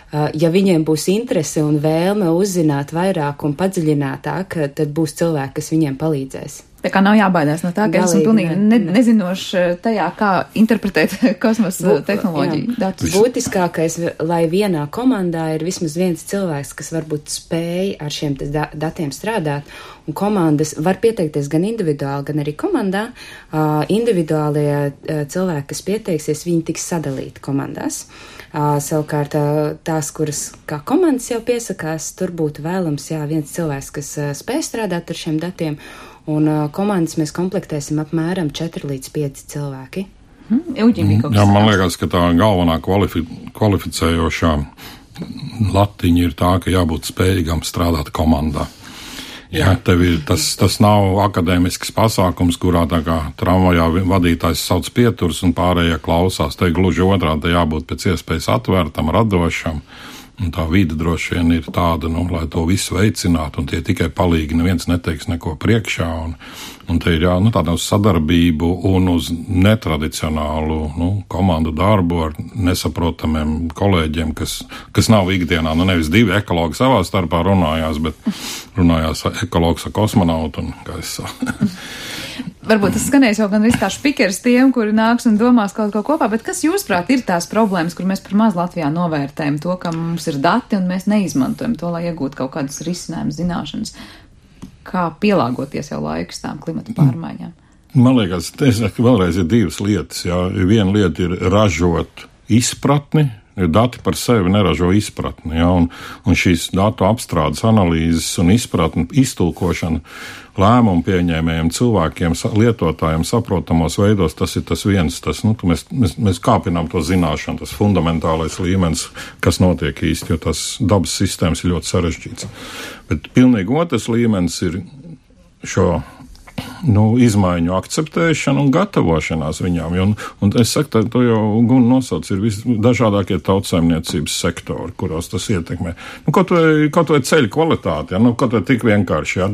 I: Uh, ja viņiem būs interese un vēlme uzzināt vairāk un padziļinātāk, tad būs cilvēki, kas viņiem palīdzēs.
B: Tā kā nav jābaidās no tā, ka esmu pilnīgi ne, nezinoši tajā, kā interpretēt kosmosa tehnoloģiju datus.
I: Būtiskākais, lai vienā komandā ir vismaz viens cilvēks, kas varbūt spēj ar šiem da- datiem strādāt, un komandas var pieteikties gan individuāli, gan arī komandā. Uh, individuālie uh, cilvēki, kas pieteiksies, viņi tiks sadalīti komandās. Uh, savukārt uh, tās, kuras kā komandas jau piesakās, tur būtu vēlams, jā, viens cilvēks, kas uh, spēj strādāt ar šiem datiem, un uh, komandas mēs komplektēsim apmēram četri līdz pieci cilvēki.
B: Mm-hmm.
H: Jā, man liekas, ka tā galvenā kvalifi kvalificējošā latiņa ir tā, ka jābūt spējīgam strādāt komandā. Jā, tev ir, tas, tas nav akadēmisks pasākums, kurā tā kā tramvajā vadītājs sauc pieturs un pārējie klausās. Te gluži otrādi, te jābūt pēc iespējas atvērtam, radošam. Un tā vide droši vien ir tāda, nu, lai to visu veicinātu, un tie tikai palīgi, neviens neteiks neko priekšā, un, un te ir jā, nu, tāda uz sadarbību un uz netradicionālu, nu, komandu darbu ar nesaprotamiem kolēģiem, kas, kas nav ikdienā, nu, nevis divi ekologi savā starpā runājās, bet runājās ekologs ar kosmonautu, un kā es saku.
B: Varbūt tas skanēs jau gan viss kā špikers tiem, kuri nāks un domās kaut ko kopā, bet kas jūsprāt ir tās problēmas, kur mēs par maz Latvijā novērtējam to, ka mums ir dati un mēs neizmantojam to, lai iegūtu kaut kādus risinājumus, zināšanas, kā pielāgoties jau laikus tām klimata pārmaiņām?
H: Man liekas, es saku, vēlreiz ir divas lietas. Jā. Viena lieta ir ražot izpratni, jo dati par sevi neražo izpratni, jā, un, un šīs datu apstrādes, analīzes un izpratni, iztulkošana lēmumu pieņēmējiem, cilvēkiem, lietotājiem saprotamos veidos, tas ir tas viens, tas, nu, mēs, mēs, mēs kāpinām to zināšanu, tas fundamentālais līmenis, kas notiek īsti, jo tas dabas sistēmas ir ļoti sarežģīts. Bet pilnīgi otrs līmenis ir šo nu, izmaiņu akceptēšana un gatavošanās viņām. Un, un es saku, tā, to jau Guna nosauc, ir visdažādākie tautsaimniecības sektori, kuros tas ietekmē. Nu, kaut vai, kaut vai ceļu kvalitāti, ja? Nu, kaut vai tik vienkārši, ja?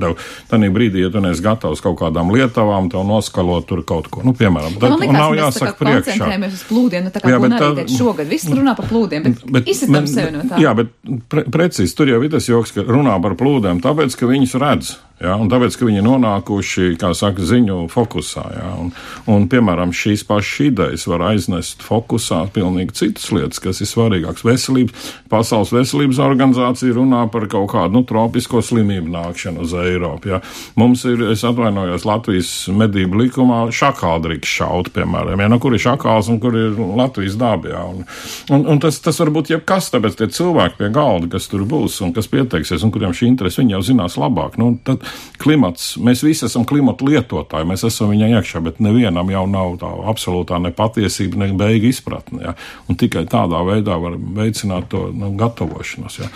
H: Tanī brīdī, ja tu neesi gatavs kaut kādām lietavām, tev noskalot tur kaut ko. Nu, piemēram, tad,
B: man likās, nav jāsaka priekšā. Koncentrējamies uz plūdiem, nu tā kā Guna arī teica šogad. Viss runā par plūdiem, bet, bet izsatam sevi no tā.
H: Jā, bet pre, precīzi, tur jau ir tas joks, ka runā par plūdiem, tāpēc, ka viņus redz. Jā, un tāpēc, ka viņi ir nonākuši, kā saka, ziņu fokusā. Jā, un, un, piemēram, šīs pašas idejas var aiznest fokusā pilnīgi citas lietas, kas ir svarīgākas. Veselības, Pasaules veselības organizācija runā par kaut kādu, nu, tropisko slimību nākšanu uz Eiropu. Jā. Mums ir, es atvainojos, Latvijas medību likumā šakāli drīkst šaut, piemēram. Jā, no kur ir šakāls un kur ir Latvijas daba. Jā, un, un, un tas, tas var būt jebkas, tāpēc tie cilvēki pie galda, kas tur būs un kas pieteiksies un kuriem šī interese, viņi jau zinās labāk. Nu, tad, klimats, mēs visi esam klimata lietotāji, mēs esam viņā iekšā, bet nevienam jau nav tā absolūtā ne patiesība, ne beiga izpratne, ja? Un tikai tādā veidā var veicināt to, nu, gatavošanos, ja?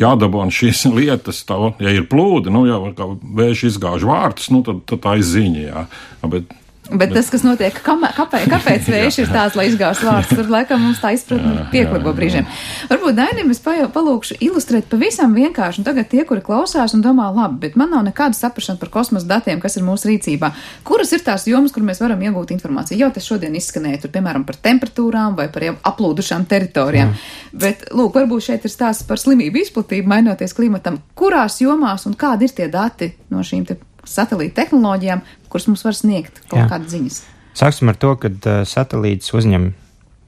H: Jādabona šīs lietas, tā, ja ir plūdi, nu, ja kā vējš izgāž vārtus, nu, tad, tad tā ir ziņa, ja? Bet
B: Bet, bet tas, kas notiek, kamē, kāpēc, kāpēc vējš ir tāds, lai izgāst vārds, tur laikam mums tā izpratne pieklibo brīžiem. Varbūt Dainim es palūkšu ilustrēt pavisam vienkārši, un tagad tie, kuri klausās un domā, labi, bet man nav nekāda saprašana par kosmosa datiem, kas ir mūsu rīcībā. Kuras ir tās jomas, kur mēs varam iegūt informāciju? Jau tas šodien izskanēja, tur, piemēram, par temperatūrām vai par aplūdušām teritorijām. Mm. Bet, lūk, varbūt šeit ir stāsts par slimību izplatību, mainoties klimatam. Kurās jomās un kādi ir tie dati no šīm te satelīta tehnoloģijām, kuras mums var sniegt kaut kādas ziņas?
G: Sāksim ar to, ka uh, satelīts uzņem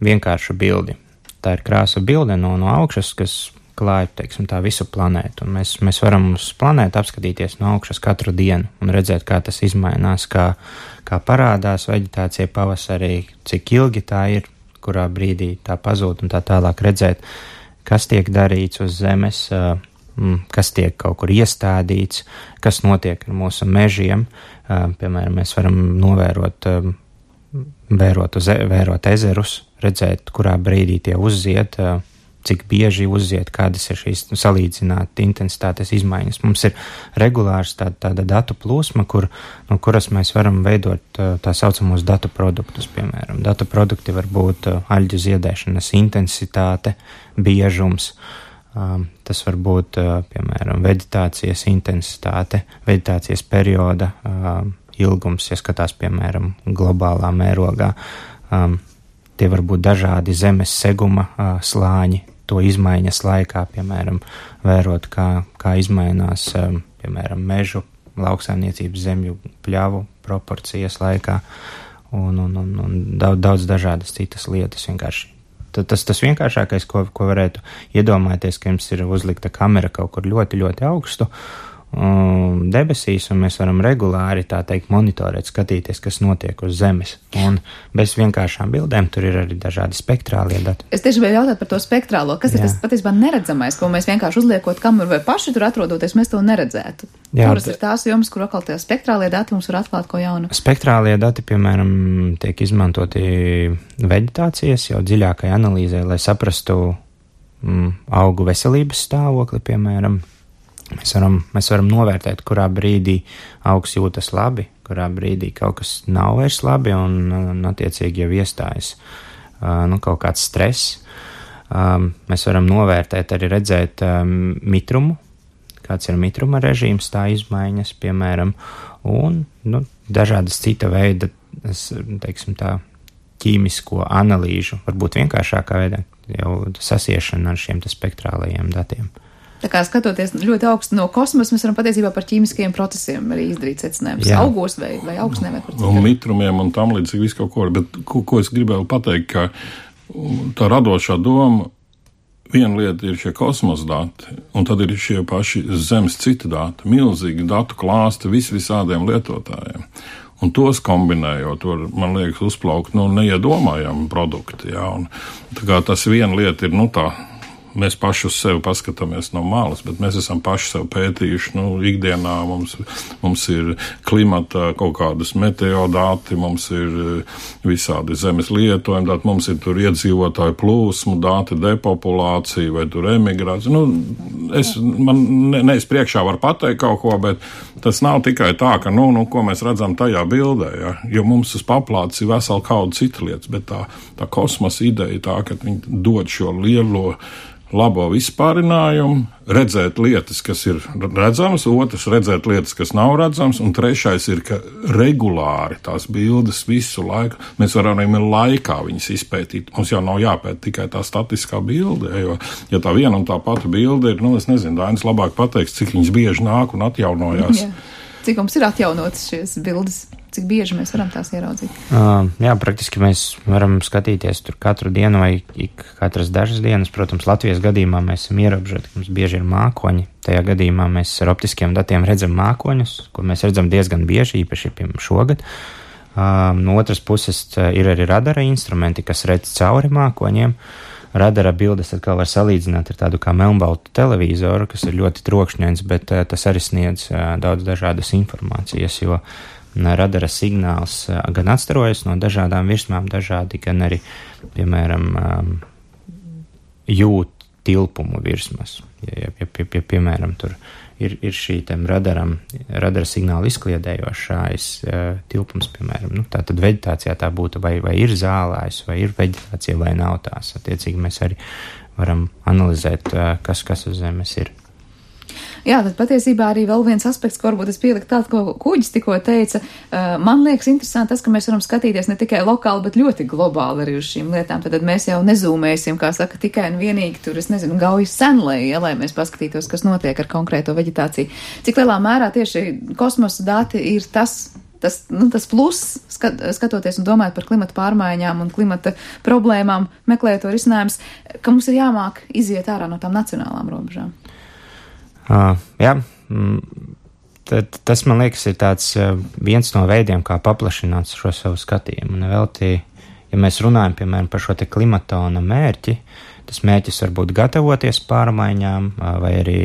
G: vienkāršu bildi. Tā ir krāsa bilde no, no augšas, kas klāja, teiksim, tā visu planētu. Un mēs, mēs varam uz planētu apskatīties no augšas katru dienu un redzēt, kā tas izmainās, kā, kā parādās veģetācija pavasarī, cik ilgi tā ir, kurā brīdī tā pazūd un tā tālāk redzēt, kas tiek darīts uz Zemes, uh, kas tiek kaut kur iestādīts, kas notiek ar mūsu mežiem. Piemēram, mēs varam novērot, vērot, uz, vērot ezerus, redzēt, kurā brīdī tie uzziet, cik bieži uzziet, kādas ir šīs salīdzināt intensitātes izmaiņas. Mums ir regulārs tāda, tāda datu plūsma, kur, no kuras mēs varam veidot tā saucamos datu produktus, piemēram. Datu produkti var būt aļģu ziedēšanas intensitāte, biežums. Um, tas var būt, uh, piemēram, veģetācijas intensitāte, veģetācijas perioda uh, ilgums, ja skatās, piemēram, globālā mērogā. Um, tie var būt dažādi zemes seguma uh, slāņi, to izmaiņas laikā, piemēram, vērot, kā, kā izmainās, um, piemēram, mežu, lauksaimniecības zemju pļavu proporcijas laikā un, un, un, un daudz, daudz dažādas citas lietas vienkārši. Tas, tas vienkāršākais, ko, ko varētu iedomāties, ka jums ir uzlikta kamera kaut kur ļoti, ļoti augstu, um, debesīs, un mēs varam regulāri, tā teikt, monitorēt, skatīties, kas notiek uz Zemes. Un bez vienkāršām bildēm tur ir arī dažādi spektrālie dati.
B: Es tieši vēl jautāt par to spektrālo. Kas Jā. ir tas patiesībā neredzamais, ko mēs vienkārši uzliekot kamuru vai paši tur atrodoties, mēs to neredzētu? Jā, Kuras ir tās jomas, kur atkal tie spektrālie dati mums var atklāt ko jaunu?
G: Spektrālie dati, piemēram, tiek izmantoti veģetācijas jau dziļākai analīzē, lai saprastu mm, augu veselības stāvokli, piemēram. Mēs varam, mēs varam novērtēt, kurā brīdī augs jūtas labi, kurā brīdī kaut kas nav vairs labi un, un attiecīgi jau iestājas uh, nu, kaut kāds stress. Um, mēs varam novērtēt, arī redzēt um, mitrumu, kāds ir mitruma režīms, tā izmaiņas, piemēram, un nu, dažādas cita veida, teiksim tā, ķīmisko analīžu, varbūt vienkāršākā veidā, jau sasiešana ar šiem spektrālajiem datiem.
B: Tā kā skatoties ļoti augstu no kosmosa, mēs varam patiesībā par ķīmiskajiem procesiem arī izdarīt secinājumus. Augos vai, vai augstnē vai par citu.
H: Un mitrumiem un tam līdzīgi visu kaut ko. Bet ko, ko es gribēju pateikt, ka tā radošā doma, viena lieta ir šie kosmosa dati, un tad ir šie paši Zemes citi dati, milzīgi datu klāsti vis visādiem lietotājiem. Un tos kombinējot, var, man liekas, uzplaukt, nu, neiedomājami produkti, jā. Un tā kā tas viena lieta ir, nu, tā, mēs paši uz sevi paskatāmies no malas, bet mēs esam paši sev pētījuši, nu, ikdienā mums, mums ir klimata kaut kādas meteodāti, mums ir visādi zemes lietojumi dati, mums ir tur iedzīvotāju plūsmu dati, depopulācija vai tur emigrācija. Nu, es, man ne, ne es priekšā varu pateikt kaut ko, bet tas nav tikai tā, ka, nu, nu ko mēs redzam tajā bildē, ja? Jo mums uz paplātes ir vesela kauda cita lietas, bet tā, tā kosmosa ideja tā, ka viņi dod šo lielo labo vispārinājumu, redzēt lietas, kas ir redzamas, otrs redzēt lietas, kas nav redzamas, un trešais ir, ka regulāri tās bildes visu laiku, mēs varam arī laikā viņas izpētīt. Mums jau nav jāpēt tikai tā statiskā bilde, jo, ja tā viena un tā pati bilde ir, nu, es nezinu, Dainis labāk pateiks, cik viņas bieži nāk un atjaunojās.
B: Jā. Cik mums ir atjaunotas šīs bildes? Cik bieži mēs varam tās ieraudzīt?
G: Uh, jā, praktiski mēs varam skatīties tur katru dienu vai ik katras dažas dienas. Protams, Latvijas gadījumā mēs esam ierobežoti, ka mums bieži ir mākoņi. Tajā gadījumā mēs ar optiskiem datiem redzam mākoņus, ko mēs redzam diezgan bieži, īpaši piemēram šogad. Uh, no otras puses ir arī radara instrumenti, kas redz cauri mākoņiem. Radara bildes atkal var salīdzināt ar tādu kā melnbaltu televizoru, kas ir ļoti trokšņains, bet uh, tas arī sniedz uh, daudz dažādas informācijas, jo radara signāls gan atstarojas no dažādām virsmām, dažādi, gan arī, piemēram, jūt tilpumu virsmas. Ja, ja, ja, ja piemēram, tur ir, ir šī tam radaram, radara signāla izkliedējošais tilpums, piemēram, nu, tā tad veģetācijā tā būtu, vai, vai ir zālājs, vai ir veģetācija, vai nav tās. Attiecīgi mēs arī varam analizēt, kas, kas uz Zemes ir.
B: Jā, tad patiesībā arī vēl viens aspekts, ko varbūt es pieliku tādu, ko Kuģis tikko teica. Man liekas interesanti tas, ka mēs varam skatīties ne tikai lokāli, bet ļoti globāli arī uz šīm lietām. Tad mēs jau nezūmēsim, kā saka, tikai un vienīgi tur, es nezinu, gaujas senlēji, ja, lai mēs paskatītos, kas notiek ar konkrēto veģetāciju. Cik lielā mērā tieši kosmosa dati ir tas, tas, nu, tas pluss, skat, skatoties un domājot par klimata pārmaiņām un klimata problēmām, meklējot to risinājums, ka mums ir jāmāk iziet ārā no tām nacionālām robežām.
G: Uh, jā, tad, tas, man liekas, ir tāds uh, viens no veidiem, kā paplašināt šo savu skatījumu. Un vēl tī, ja mēs runājam, piemēram, par šo te klimatona mērķi, tas mērķis var būt gatavoties pārmaiņām uh, vai arī,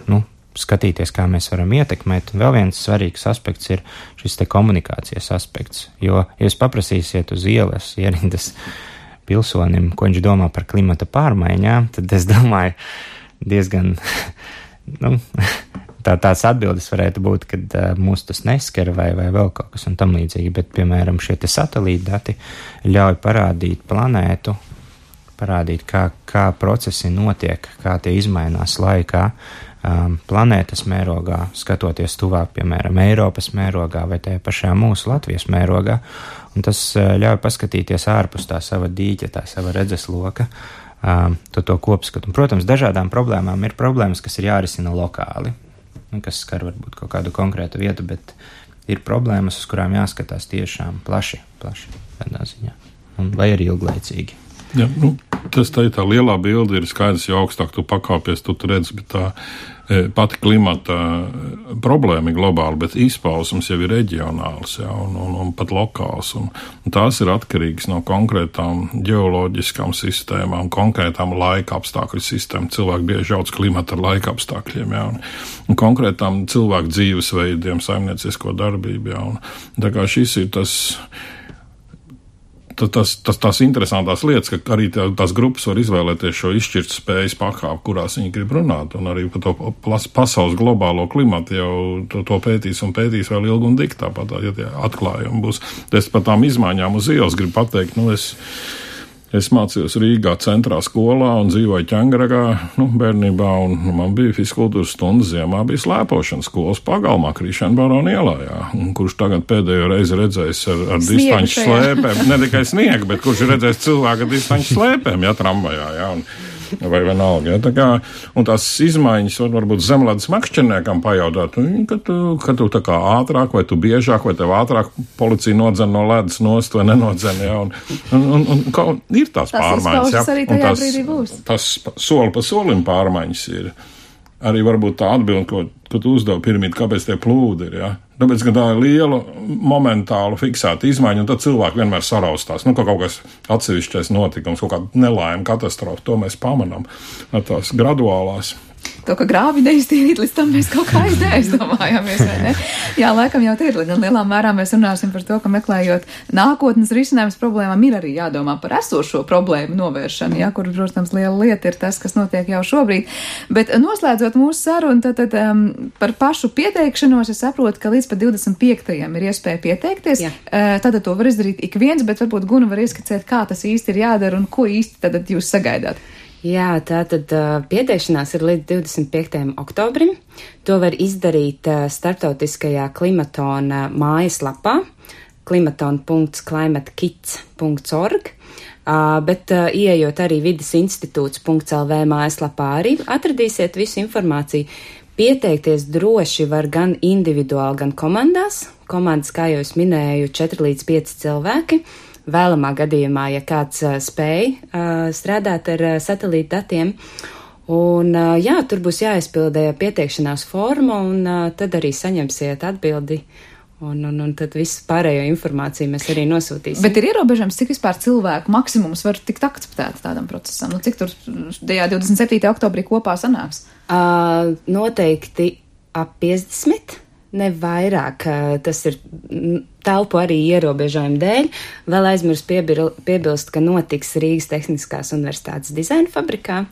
G: nu, skatīties, kā mēs varam ietekmēt. Un vēl viens svarīgs aspekts ir šis te komunikācijas aspekts, jo, ja jūs paprasīsiet uz ielas ierindas pilsonim, ko viņš domā par klimata pārmaiņām, tad es domāju diezgan... Nu, tā, tās atbildes varētu būt, kad uh, mūs tas neskar vai, vai vēl kaut kas un tam līdzīgi, bet, piemēram, šie te satelīta dati ļauj parādīt planētu, parādīt, kā, kā procesi notiek, kā tie izmainās laikā, um, planētas mērogā, skatoties tuvāk, piemēram, Eiropas mērogā vai tajā pašā mūsu Latvijas mērogā, un tas uh, ļauj paskatīties ārpus tā sava dīķa, tā sava redzesloka, Um, to, to kopskatu. Un, protams, dažādām problēmām ir problēmas, kas ir jārisina lokāli, kas skar varbūt kaut kādu konkrētu vietu, bet ir problēmas, uz kurām jāskatās tiešām plaši, plaši tādā ziņā, un, vai arī ilglaicīgi.
H: Jā, nu, Tas tā, tā lielā bilde ir skaidrs, jo augstāk tu pakāpies, tu redzi, bet tā pati klimata problēma ir globāla, bet izpausums jau ir reģionāls, jā, un, un, un pat lokāls. Un, un tās ir atkarīgas no konkrētām ģeoloģiskām sistēmām, konkrētām laika apstākļu sistēmām. Cilvēki bieži jauc klimata ar laika apstākļiem, jā, un, un konkrētām cilvēku dzīvesveidiem, saimniecisko darbību, jā. Un, tā kā šis ir tas... Tas, tas, tās interesantās lietas, ka arī tā, tās grupas var izvēlēties šo izšķirt spējas pakāpi, kurās viņi grib runāt, un arī par to pasaules globālo klimatu jau to, to pētīs un pētīs vēl ilgi un dik, tāpat, ja tie atklājumi būs. Es par tām izmaiņām uz ielas gribu pateikt, nu es, es mācījos Rīgā centrā skolā un dzīvoju Ķengragā, nu, bērnībā, un nu, man bija fiskultūras stundas ziemā, bija slēpošanas skolas pagalmā Krišana Barona ielā, jā, un kurš tagad pēdējo reizi redzējis ar, ar distanču slēpēm, ne tikai sniegu, bet kurš ir redzējis cilvēku ar distanču slēpēm, jā, tramvajā, jā, un vai vienalga, ja, tā kā, un tās izmaiņas var varbūt zemlēdas makšķerniekam pajautāt, ka tu, ka tu tā kā ātrāk, vai tu biežāk, vai tev ātrāk policija nodzen no ledus nost, vai nenodzen, ja, un, un, un, un, un ir tās, tās pārmaiņas, ja,
B: arī
H: un tas,
B: būs.
H: tas soli pa solim pārmaiņas ir. Arī varbūt tā atbilde, ko, ko tu uzdevi pirmīt, kāpēc tie plūdi ir, ja? Tāpēc, ka tā ir liela, momentāla, fiksēta izmaiņa, un tad cilvēki vienmēr saraustās. Nu, ka kaut kas atsevišķais notikums, kaut kāda nelaime, katastrofa, to mēs pamanām ar tās graduālās.
B: To, ka grāvi neiztīrīt, līdz tam mēs kaut kā aizdomājāmies, vai ne? Jā, laikam jau tie ir, līdz lielā mērā mēs runāsim par to, ka meklējot nākotnes risinājums problēmām ir arī jādomā par esošo problēmu novēršanu, jā, kur, protams, liela lieta ir tas, kas notiek jau šobrīd. Bet noslēdzot mūsu sarunu, tad, tad um, par pašu pieteikšanos es saprotu, ka līdz pat divdesmit piektajam ir iespēja pieteikties. Uh, tad to var izdarīt ik viens, bet varbūt Guna var ieskicēt, kā tas īsti ir jādara un ko īsti tad jūs sagaidāt.
I: Jā, tātad uh, pieteikšanās ir līdz divdesmit piektajam oktobrim. To var izdarīt uh, starptautiskajā klimatona mājaslapā klimaton punkts climate kits punkts org, uh, bet uh, ieejot arī vides institūts punkts el vē mājaslapā arī atradīsiet visu informāciju. Pieteikties droši var gan individuāli, gan komandās. Komandas, kā jau es minēju, četri līdz pieci cilvēki. Vēlamā gadījumā, ja kāds uh, spēj uh, strādāt ar uh, satelīta datiem. Un, uh, jā, tur būs jāizpildē pieteikšanās forma, un uh, tad arī saņemsiet atbildi. Un, un, un tad visu pārējo informāciju mēs arī nosūtīsim.
B: Bet ir ierobežams, cik vispār cilvēku maksimums var tikt akceptēts tādam procesam? Nu, cik tur tajā divdesmit septītajā oktobrī kopā sanāks?
I: Uh, noteikti ap piecdesmit. Ne vairāk, tas ir telpu arī ierobežojumu dēļ. Vēl aizmirst piebilst, ka notiks Rīgas Tehniskās universitātes dizaina fabrikā.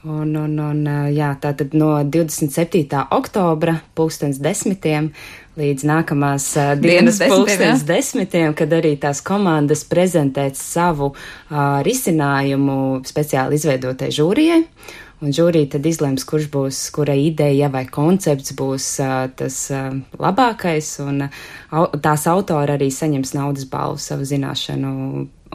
I: Un, un, un jā, tātad no divdesmit septītā oktobra pulkstens desmitiem līdz nākamās dienas, dienas pulkstens desmitiem, kad arī tās komandas prezentēs savu uh, risinājumu speciāli izveidotai žūrijai. Un žūrija tad izlems, kurš būs, kura ideja vai koncepts būs uh, tas uh, labākais, un uh, tās autori arī saņems naudas balvu savu zināšanu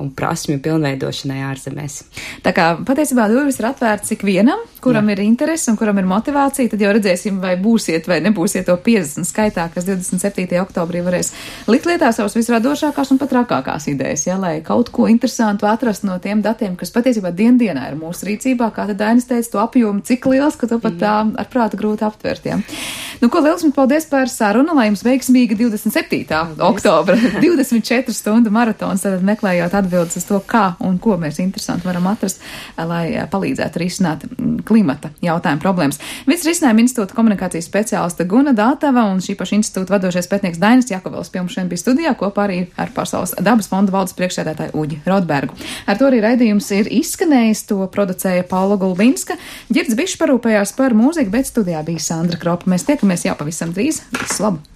I: un prasmju pilnveidošanai ārzemēs.
B: Tā kā patiesībā durvis ir atvērts ikvienam, kuram Jā. ir interesi un kuram ir motivācija, tad jau redzēsim, vai būsiet vai nebūsiet to piecdesmit skaitā, kas divdesmit septītajā oktobrī varēs likt lietā savas visradošākās un pat trakākās idejas, ja, lai kaut ko interesantu atrast no tiem datiem, kas patiesībā dien dienā ir mūsu rīcībā, kā tad Dainis teica, to apjomu cik liels, ka to pat tā ar prātu grūti aptvert. Ja. Nu, ko liels mums paldies par sarunu, lai jums veiksmīga divdesmit septītā oktobra divdesmit četru stundu maratons, tad meklējot atbildes uz to, kā un ko mēs interesanti varam atrast, lai palīdzētu risināt klimata jautājumu problēmas. Vides risinājuma institūta komunikācijas speciāliste Guna Dātava un šī paša institūta vadošais pētnieks Dainis Jakovels pie mums šodien bija studijā kopā arī ar Pasaules dabas fonda valdes priekšsēdētāju Uģi Rodbergu. Ar to arī raidījums ir izskanējis, to producēja Paula Gulbinska. Ģirds Bišs parūpējās par mūziku, bet studijā bija Sandra Kropa. Mēs tiekamies jau pavisam drīz. Visu labu!